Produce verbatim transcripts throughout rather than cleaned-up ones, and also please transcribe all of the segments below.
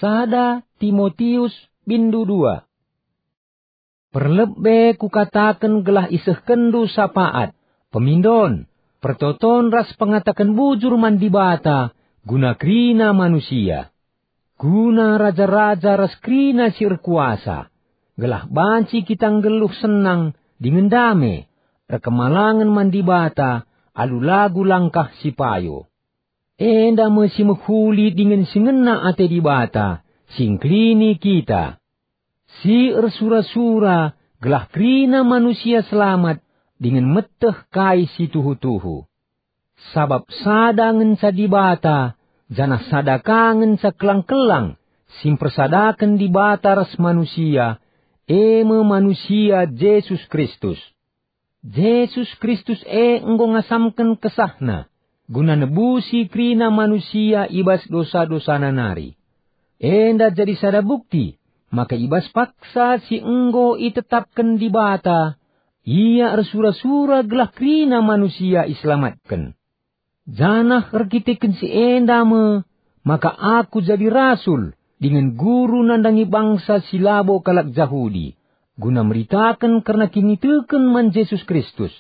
Sada Timotius bindu dua. Perlebe kukataken gelah isehkenndu sapaat, pemindon, pertoton ras pengataken bujur man Dibata guna kerina manusia, guna raja-raja ras kerina si erkuasa, gelah banci kita nggeluh senang dingen dame, erkemalangen man Dibata alu lagu langkah si payo. Enda me si mehuli dingen si ngena ate Dibata, si ngkelini kita, si ersura-sura gelah kerina manusia selamat dingen meteh kai si tuhu-tuhu. Sabap sada ngenca Dibata, janah sada ka ngenca kelang-kelang si mpersadaken Dibata ras manusia, e me manusia Jesus Kristus. Jesus Kristus e enggo ngasamken kesahNa guna nebusi kerina manusia i bas dosa-dosana nari. Enda jadi sada bukti maka i bas paksa si enggo itetapken Dibata, Ia ersura-sura gelah kerina manusia iselamatken. Janah erkiteken si enda me maka aku jadi rasul dingen guru nandangi bangsa si labo kalak Jahudi, guna meritaken kerna kiniteken man Jesus Kristus.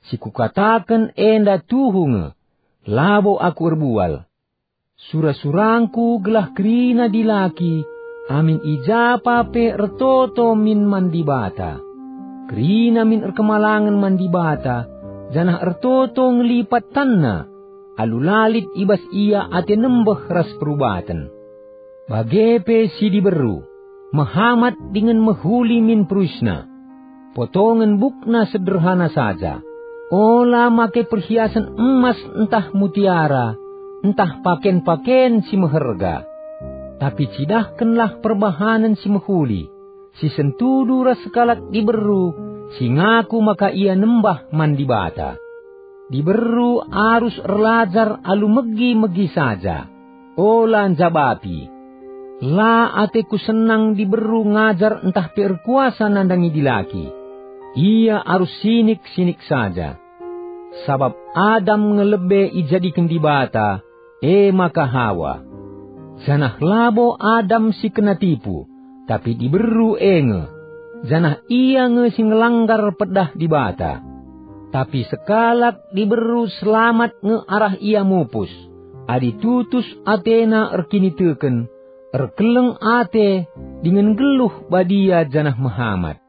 Si kukataken enda tuhu nge, labo aku erbual. Sura-surangku gelah kerina dilaki, amin i ja pa pe ertoto min man Dibata. Kerina min erkemalangen man Dibata, janah ertoto ngelipat tanna, alu la lit i bas ia ate nembeh ras perubaten. Bage pe si diberu, mehamat dingen mehuli min peruisna. Potongen bukna sederhana saja. Ola make perhiasen emas ntah mutiara, ntah paken-paken si meherga. Tapi cidahkenlah perbahanen si mehuli, si sentudu ras sekalak diberu si ngaku maka ia nembah man Dibata. Diberu arus erlajar alu megi-megi saja, ola njabapi. La ateku senang diberu ngajar ntah pe erkuasa nandangi dilaki. Ia arus sinik-sinik saja. Sabap Adam nge lebe ijadiken Dibata, e maka Hawa. Janah labo Adam si kena tipu, tapi diberu e nge, janah ia nge si ngelanggar pedah Dibata. Tapi sekalak diberu selamat nge arah ia mupus, adi tutus atena erkiniteken, erkeleng ate, dingen nggeluh badia janah mehamat.